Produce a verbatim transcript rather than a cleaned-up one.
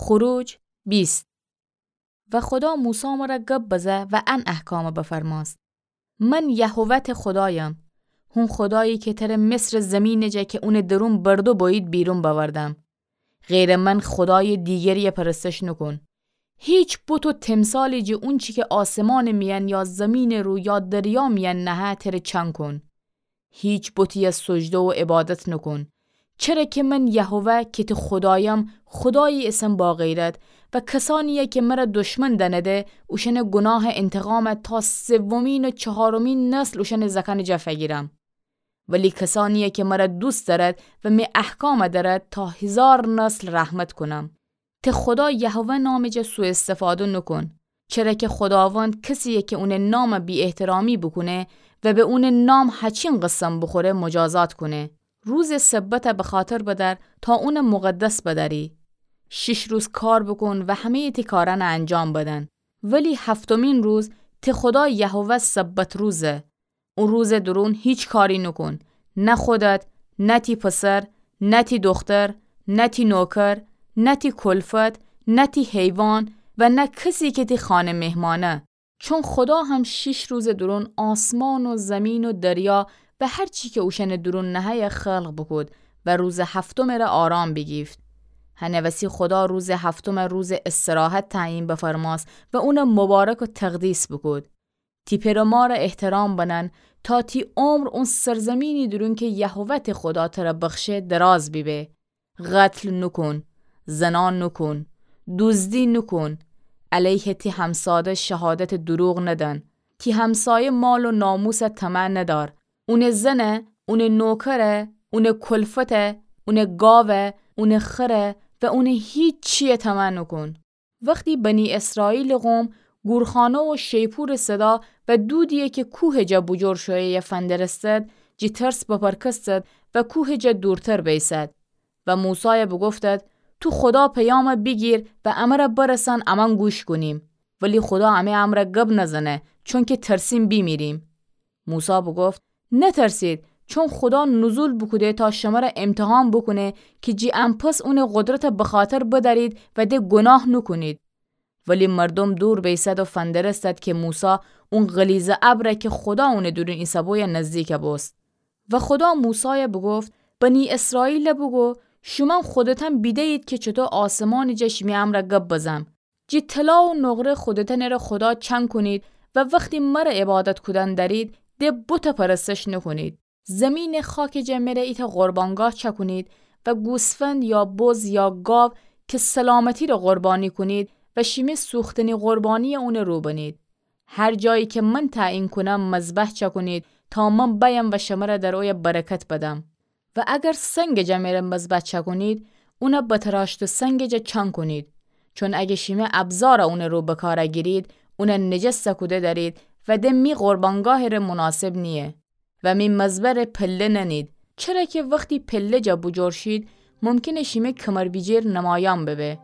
خروج بیست. و خودا موسی مره گب بزه و ان احکامه بفرماست: من یهوه ته خودایم، هون خودایی که تره مصر زمینٚ جا که اونٚ درون بردو بویید بیرون بأوردم. غیرٚ من خودای دیگریه پرستش نوکون. هیچ بت و تمثالی جه اونچی که آسمانٚ میأن یا زمینٚ رو یا دریا میأن نهه تره چنکون. هیچ بتیه سجده و عبادت نوکون. چره که من یهوه که تی خودایم، خودایی ایسم باغیرت و کسانیه که مره دشمن دأنده، اوشأنٚ گوناهٚ انتقامه تا سومین و چهارمین نسل اوشأنٚ زأکأنٚ جا فگیرم. ولی کسانیه که مره دوست دأرد و می احکامه دأرد، تا هیزار نسل رحمت کونم. تی خودا یهوه نامٚ جا سوءاستفاده نوکون، چره که خوداوند کسیه که اونٚ نامه بی‌احترامی بوکونه و به اونٚ نام هچین قسم بوخوره، مجازات کونه. روزٚ سبته بخاطر بدأر تا اونه مقدس بدأری. شیش روز کار بوکون و همه‌یٚ تی کارأنه انجام بدن، ولی هفتمین روز تی خودا یهوه سبت روزه. او روزٚ درون هیچ کاری نوکون، نه خودت، نه تی پسر، نه تی دوختر، نه تی نوکر، نه تی کلفت، نه تی حیوان و نه کسی که تی خانه مهمانه. چون خودا هم شیش روزٚ درون آسمان و زمین و دریا و هر چی که اوشأنٚ درون نهه‌یه خلق بوکود و روزٚ هفتمٚ ره آرام بیگیفت. هنه وسی خودا روزٚ هفتمٚ روزٚ استراحت تعیین بفرماست و اونه مبارک و تقدیس بوکود. تی پئر و ماره احترام بنن، تا تی عمر اون سرزمینی درون که یهوه تی خودا تره بخشه دراز بیبه. قتل نوکون، زنا نوکون، دوزدی نوکون، علیه تی همساده شهادت دروغ ندن، تی همسایه مال و ناموسه طمع ندار، اونٚ زنه، اونٚ نوکره، اونٚ کلفته، اونٚ گاوه، اونٚ خره و اونٚ هیچ چیه طمع نوکون. وختی بنی اسرائیلٚ قوم گورخانه و شیپورٚ صدا و دودیی که کوهٚ جا بوجور شویه‌یه فندرستد، جی ترس بپرکستد و کوهٚ جا دورتر بیسد. و موسایه بوگفتد: تو خودا پیامه بیگیر و امره برسان، امأن گوش کونیم. ولی خودا امی امره گب نزنه، چونکه ترسیم بیمیریم. موسی بوگفت: نترسید، چون خودا نزول بوکوده تا شمره امتحان بوکونه، که جی ان پس اونٚ قدرته بخاطر بدأرید و د گوناه نوکونید. ولی مردوم دور بیسد و فندرستد که موسی اون غلیظه ابره که خودا اونٚ دورون ایسه‌بویه نزدیک بوست. و خودا موسایه بوگفت: بنی اسرائیله بوگو، شومأن خودتأن بیده‌یید که چوطو آسمانٚ جا شیمی امره گب بزم. جی طلا و نقره خودتأنٚ ره خودا چأن کونید و وختی مره عبادت کودن دأرید، د بته پرستش نوکونید. زیمینٚ خاکٚ جا مره ایتأ قربانگاه چأکونید و گوسفند یا بز یا گاو که سلامتی ره قربانی کونید و شیمی سوختنی قربانیی اونٚ رو بنید. هر جایی که من تعیین کونم مذبح چأکونید تا من بأیم و شمره در اویه برکت بدم. و اگر سنگٚ جا مره مذبح چأکونید، اونه بتراشته سنگٚ جا چأن کونید. چون اگه شیمی ابزاره اونٚ رو بکاره گیرید، اونه نجس کوده دأرید و د می قربانگاهٚ ره مناسب نییه. و می مذبح ره پله ننید، چره که وختی پله جا بوجور شید، ممکنه شیمی کمر بیجیر نمایان ببه.